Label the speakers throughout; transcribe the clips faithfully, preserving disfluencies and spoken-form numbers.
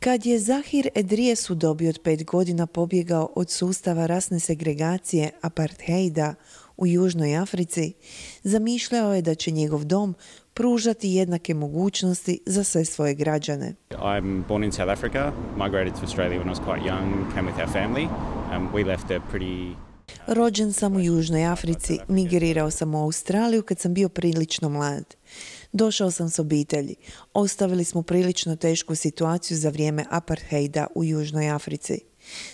Speaker 1: Kad je Zahir Edries u dobi od pet godina pobjegao od sustava rasne segregacije apartheida u Južnoj Africi, zamišljao je da će njegov dom pružati jednake mogućnosti za sve svoje građane.
Speaker 2: I'm born in South Africa, migrated to Australia when I was quite young, came with our family. Um, we left a pretty...
Speaker 1: Rođen sam u Južnoj Africi, migrirao sam u Australiju kad sam bio prilično mlad. Došao sam s obitelji. Ostavili smo prilično tešku situaciju za vrijeme apartheida u Južnoj Africi.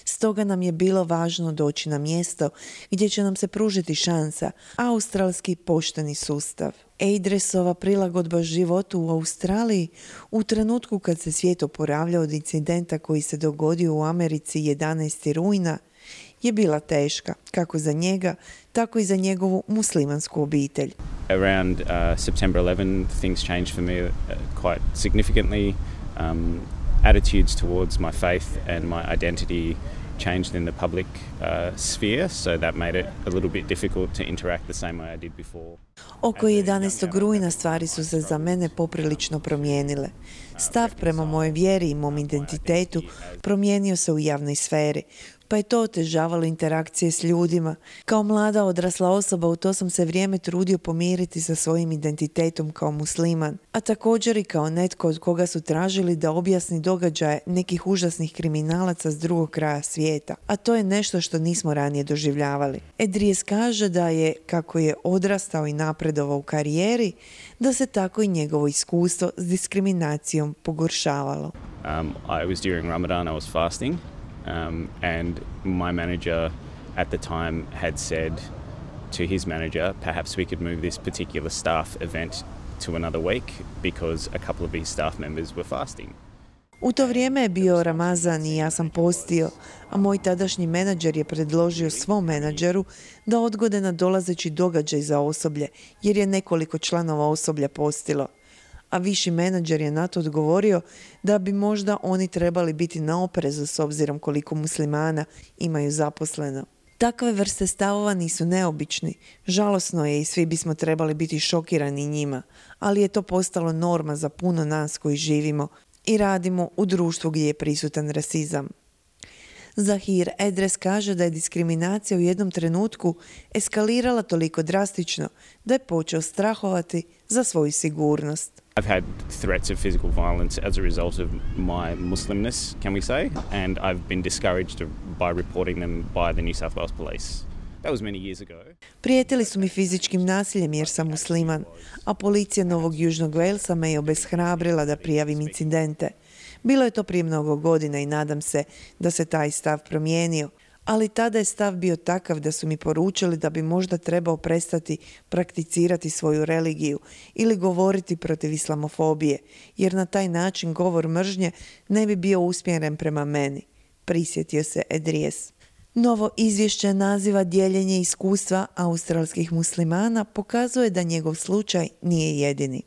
Speaker 1: Stoga nam je bilo važno doći na mjesto gdje će nam se pružiti šansa, australski pošteni sustav. Edriesova prilagodba životu u Australiji u trenutku kad se svijet oporavljao od incidenta koji se dogodio u Americi jedanaestog rujna je bila teška, kako za njega, tako i za njegovu muslimansku obitelj.
Speaker 2: Around uh, September eleventh, things changed for me uh, quite significantly. Um, attitudes towards my faith and my identity changed in the public uh, sphere, so that made it a little bit difficult to interact the same way I did before.
Speaker 1: Oko jedanaestog rujna stvari su se za mene poprilično promijenile. Stav prema mojoj vjeri i mom identitetu promijenio se u javnoj sferi, pa je to otežavalo interakcije s ljudima. Kao mlada odrasla osoba u to sam se vrijeme trudio pomiriti sa svojim identitetom kao musliman, a također i kao netko od koga su tražili da objasni događaje nekih užasnih kriminalaca s drugog kraja svijeta, a to je nešto što nismo ranije doživljavali. Edries kaže da je, kako je odrastao i napredovao u karijeri, da se tako i njegovo iskustvo s diskriminacijom pogoršavalo.
Speaker 2: Um, I was during Ramadan, I was fasting. Um, and my manager at the time had said to his manager, perhaps we could move this particular staff event to another week because a couple of his staff members were fasting.
Speaker 1: U to vrijeme je bio Ramazan i ja sam postio, a moj tadašnji menadžer je predložio svom menadžeru da odgode nadolazeći događaj za osoblje, jer je nekoliko članova osoblja postilo. A viši menadžer je na to odgovorio da bi možda oni trebali biti na oprezu s obzirom koliko muslimana imaju zaposleno. Takve vrste stavova nisu neobični. Žalosno je i svi bismo trebali biti šokirani njima, ali je to postalo norma za puno nas koji živimo i radimo u društvu gdje je prisutan rasizam. Zahir Edries kaže da je diskriminacija u jednom trenutku eskalirala toliko drastično da je počeo strahovati za svoju sigurnost.
Speaker 2: I've had threats of physical violence as a result of my Muslimness, can we say, and I've been discouraged by reporting them by the New South Wales Police. That was many years ago.
Speaker 1: Prijetili su mi fizičkim nasiljem jer sam musliman, a policija Novog Južnog Walesa me je obeshrabrila da prijavim incidente. Bilo je to prije mnogo godina i nadam se da se taj stav promijenio, ali tada je stav bio takav da su mi poručili da bi možda trebao prestati prakticirati svoju religiju ili govoriti protiv islamofobije, jer na taj način govor mržnje ne bi bio usmjeren prema meni, prisjetio se Edries. Novo izvješće naziva dijeljenje iskustva australskih muslimana pokazuje da njegov slučaj nije jedini.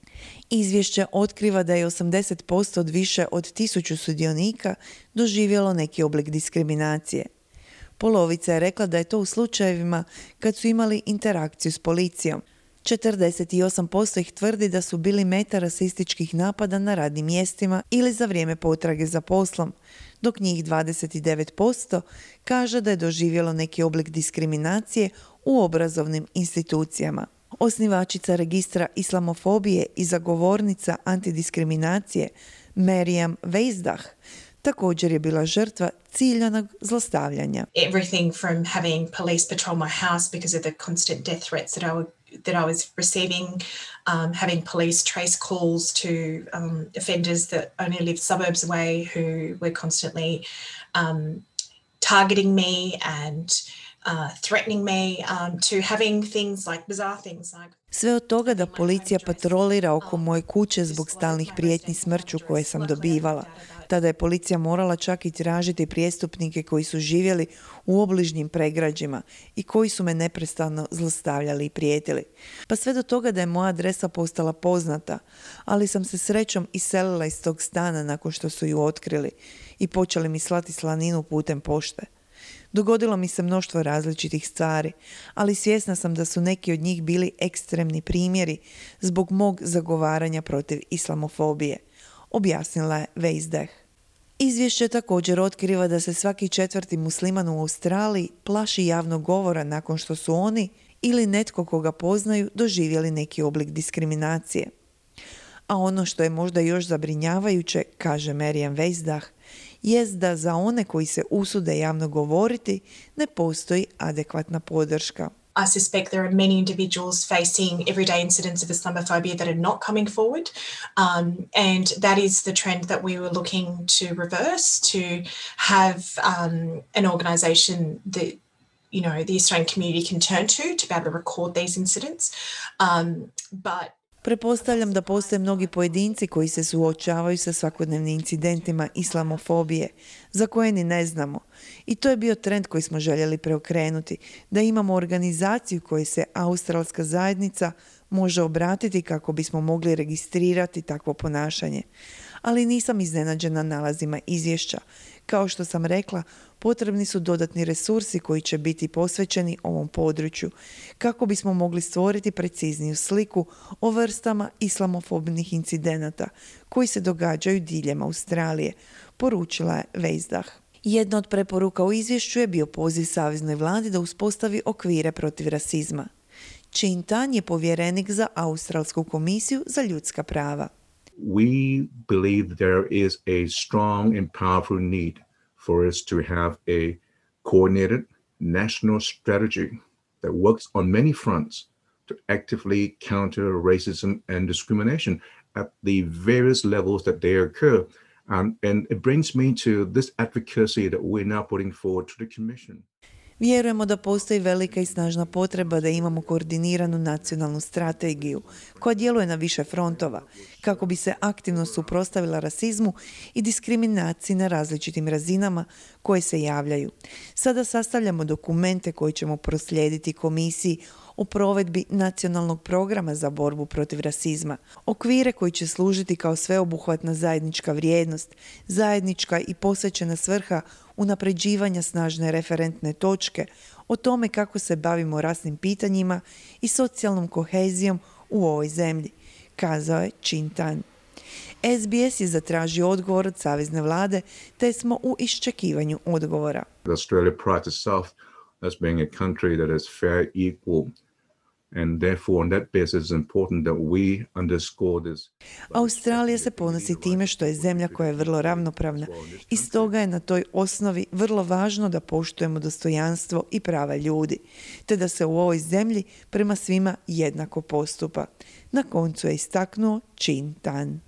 Speaker 1: Izvješće otkriva da je osamdeset posto od više od tisuću sudionika doživjelo neki oblik diskriminacije. Polovica je rekla da je to u slučajevima kad su imali interakciju s policijom. četrdeset osam posto ih tvrdi da su bili meta rasističkih napada na radnim mjestima ili za vrijeme potrage za poslom, dok njih dvadeset devet posto kaže da je doživjelo neki oblik diskriminacije u obrazovnim institucijama. Osnivačica registra islamofobije i zagovornica antidiskriminacije Maryam Weizdah također je bila žrtva ciljanog zlostavljanja.
Speaker 3: Everything from having police patrol my house because of the constant death threats that I would that I was receiving, um, having police trace calls to um, offenders that only live suburbs away who were constantly um, targeting me and uh, threatening me, um, to having things like bizarre things like...
Speaker 1: Sve od toga da policija patrolira oko moje kuće zbog stalnih prijetnji smrću koje sam dobivala. Tada je policija morala čak i tražiti prijestupnike koji su živjeli u obližnjim pregrađima i koji su me neprestano zlostavljali i prijetili. Pa sve do toga da je moja adresa postala poznata, ali sam se srećom iselila iz tog stana nakon što su ju otkrili i počeli mi slati slaninu putem pošte. Dogodilo mi se mnoštvo različitih stvari, ali svjesna sam da su neki od njih bili ekstremni primjeri zbog mog zagovaranja protiv islamofobije, objasnila je Weizdah. Izvješće također otkriva da se svaki četvrti musliman u Australiji plaši javnog govora nakon što su oni ili netko koga poznaju doživjeli neki oblik diskriminacije. A ono što je možda još zabrinjavajuće, kaže Marian Weisdach, jest da za one koji se usude javno govoriti ne postoji adekvatna podrška.
Speaker 3: I suspect there are many individuals facing everyday incidents of Islamophobia that are not coming forward, um, and that is the trend that we were looking to reverse, to have um, an organisation that, you know, the Australian community can turn to to be able to record these incidents. Um, but
Speaker 1: Pretpostavljam da postoje mnogi pojedinci koji se suočavaju sa svakodnevnim incidentima islamofobije, za koje ni ne znamo. I to je bio trend koji smo željeli preokrenuti, da imamo organizaciju kojoj se australska zajednica može obratiti kako bismo mogli registrirati takvo ponašanje. Ali nisam iznenađena nalazima izvješća. Kao što sam rekla, potrebni su dodatni resursi koji će biti posvećeni ovom području, kako bismo mogli stvoriti precizniju sliku o vrstama islamofobnih incidenata koji se događaju diljem Australije, poručila je Weisdach. Jedna od preporuka u izvješću je bio poziv saveznoj vladi da uspostavi okvire protiv rasizma. Chin Tan je povjerenik za Australsku komisiju za ljudska prava.
Speaker 4: We believe there is a strong and powerful need for us to have a coordinated national strategy that works on many fronts to actively counter racism and discrimination at the various levels that they occur. Um, and it brings me to this advocacy that we're now putting forward to the Commission.
Speaker 1: Vjerujemo da postoji velika i snažna potreba da imamo koordiniranu nacionalnu strategiju koja djeluje na više frontova kako bi se aktivno suprotstavila rasizmu i diskriminaciji na različitim razinama koje se javljaju. Sada sastavljamo dokumente koje ćemo proslijediti komisiji o provedbi nacionalnog programa za borbu protiv rasizma, okvire koji će služiti kao sveobuhvatna zajednička vrijednost, zajednička i posvećena svrha unapređivanja snažne referentne točke o tome kako se bavimo rasnim pitanjima i socijalnom kohezijom u ovoj zemlji, kazao je Chin Tan. S B S je zatražio odgovor od savezne vlade, te smo u iščekivanju odgovora.
Speaker 4: Australia prides itself as being a country that is fair, equal, and therefore on that basis it's important that we underscore this.
Speaker 1: Australija se ponosi time što je zemlja koja je vrlo ravnopravna i stoga je na toj osnovi vrlo važno da poštujemo dostojanstvo i prava ljudi, te da se u ovoj zemlji prema svima jednako postupa. Na koncu je istaknuo Chin Tan.